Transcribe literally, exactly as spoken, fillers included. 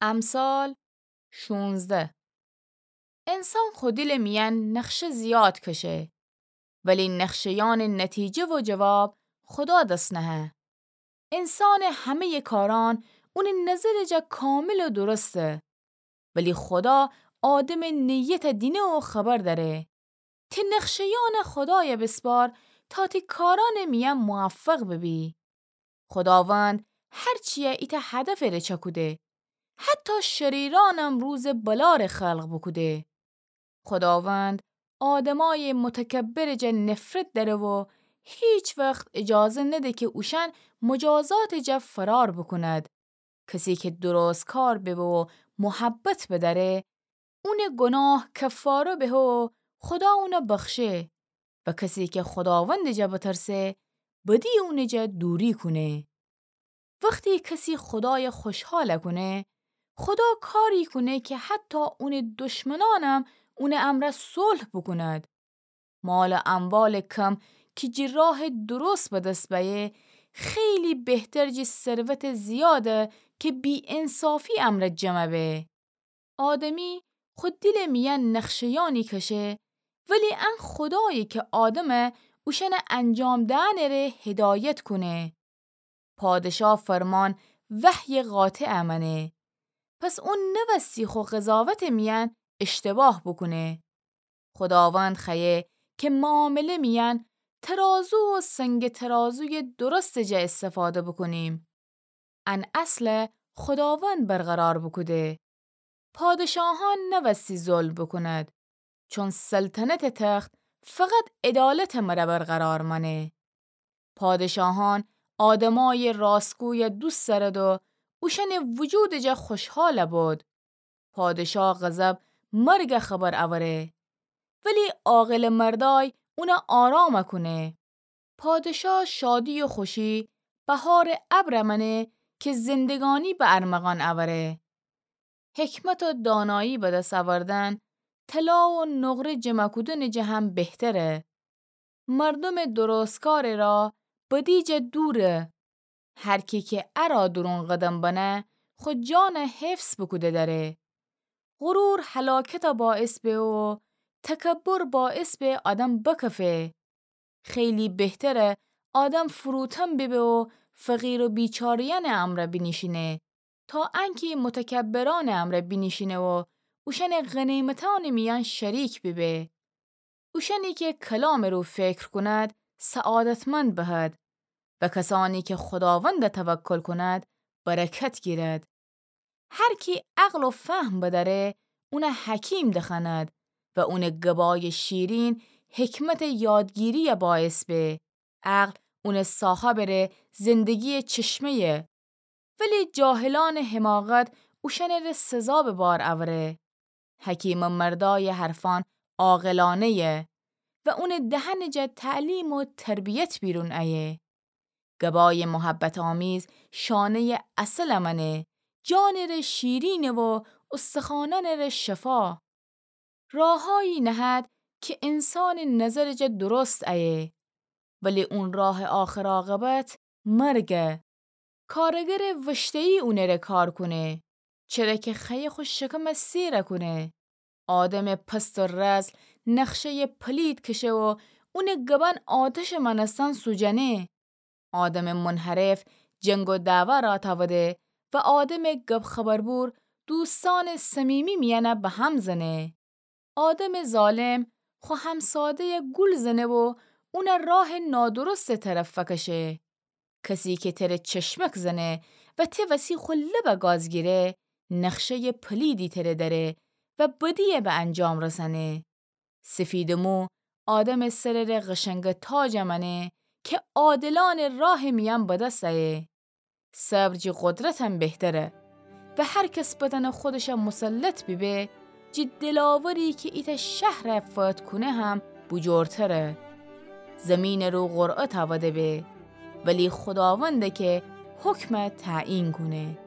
امثال شونزده. انسان خو دیلٚ میأن نقشه زیاد کشه، ولی نقشه‌یأنٚ نتیجه و جواب خودا دس نهه. انسانٚ همه‌یٚ کارأن اونٚ نظرٚ جا کامل و درسته، ولی خودا آدمٚ نیتَ دینه و خبر دأره. تی نقشه‌یأنَ خودایَ بسپار تا تی کارأنٚ میأن موفق ببی. خوداوند هر چیَ ایتأ هدفٚ ره چأکوده. حتی شریرأنم روزٚ بلا ره خلق بوکوده. خوداوند آدمأیٚ متکبرٚ جا نفرت دأره و هیچ وخت اجازه نده که اوشأن مجازاتٚ جا فرار بوکوند. کسی که درستکار ببه و محبت بدأره، اونٚ گناه کفاره بهه و خودا اونَ بخشه. و کسی که خوداوندٚ جا بترسه، بدی اونٚ جا دوری کونه. وختی کسی خودایَ خوشحال کونه، خودا کاری کونه که حتی اونٚ دشمنأنم اونٚ امرأ صلح بوکوند. مال و اموالٚ کم که جٚه راهٚ درست به دس بأیه، خیلی بهتر جٚه ثروتٚ زیاده که بی‌انصافی امرأ جمع به. آدمی خو دیلٚ میأن نقشه‌یأنی کشه، ولی ان خودایی که آدمَ اوشأنٚ انجام دئنٚ ره هدایت کونه. پادشاه فرمان وحیٚ قاطعَ مأنه. پس اون نوستی خو قضاوتٚ میأن اشتباه بوکونه. خوداوند خوأیه که معامله میأن ترازو و سنگ ترازویٚ درستٚ جا استفاده بوکونیم. ان اصلَ خوداوند برقرار بوکوده. پادشاهأن نوستی ظلم بوکوند، چون سلطنتٚ تخت فقط عدالتٚ مره برقرار مأنه. پادشاهأن آدمأیٚ راستگویَ دوست دأرد و اوشأنٚ وجودٚ جا خوشحال بود. پادشاه غضب مرگَ خبر اوره، ولی عاقلٚ مردأی اونَ آرام کونه. پادشاه شادی و خوشی بهارٚ ابرَ مأنه که زندگانی به ارمغان اوره. حکمت و دانایی به دس اوردن طلا و نقره جمع کودنٚ جا هم بهتره. مردمٚ درستکارٚ راه بدی جا دوره. هر کی که ارا دورون قدم بنه، خو جانَ حفظ بوکوده دأره. غرور هلاکتَ باعث به و تکبر باعث به آدم بکفه. خیلی بهتره آدم فروتن ببه و فقیر و بیچاره‌یأنٚ امرأ بینیشینه، تا انکی متکبرأنٚ امرأ بینیشینه و اوشأنٚ غنیمتأنٚ میأن شریک ببه. اوشأنی که کلامٚ رو فکر کند، سعادتمند بهد و کسأنی که خوداوندَ توکل کند، برکت گیرد. هر کی عقل و فهم بدأره، اونَ حکیم دخوأند و اونٚ گبایٚ شیرین حکمتٚ یادگیری‌یَ باعث به. عقل اونٚ صاحبٚ ره زندگییٚ چشمه‌یه، ولی جاهلأنٚ حماقت اوشأنٚ ره سزا به بار اوره. حکیمٚ مردأیٚ حرفأن عاقلانه‌یه و اونٚ دهنٚ جا تعلیم و تربیت بیرون ایه. گبایٚ محبت‌آمیز شانه‌یٚ عسلَ مأنه، جانٚ ره شیرینه و استخوانأنٚ ره شفا. راهایی نهد که انسانٚ نظرٚ جا درست ایه، ولی اون راهٚ آخر عاقبت مرگه. کارگرٚ وشته‌یی اونٚ ره کار کونه، چره که خوأیه خو شکمَ سیرَ کونه. آدمٚ پست و رذل نقشه‌یٚ پلید کشه و اونٚ گبأن آتشٚ مأنستن سوجنه. آدمٚ منحرف جنگ و دعوا را تأوده و آدمٚ گب خبربور دوستأنٚ صمیمی میأنَ به هم زنه. آدمٚ ظالم خو همساده‌یَ گول زنه و اونَ راهٚ نادرستٚ طرف فکشه. کسی که تره چشمک زنه و ته وسی خو لبَ گاز گیره، نقشه‌یٚ پلیدی تره دأره و بدی‌یَ به انجام رسأنه. سفیدٚ مو آدمٚ سرٚ ره قشنگٚ تاجَ مأنه که عادلأنٚ راهٚ میأن به دس ایه. صبر جٚه قدرتم بهتره و هر کس بدنٚ خودشَ مسلط بیبه، جٚه دلاوری که ایتأ شهرَ فتح کونه هم بوجورتره. زیمینٚ رو قرعه تأوده به، ولی خوداونده که حکمَ تعیین کونه.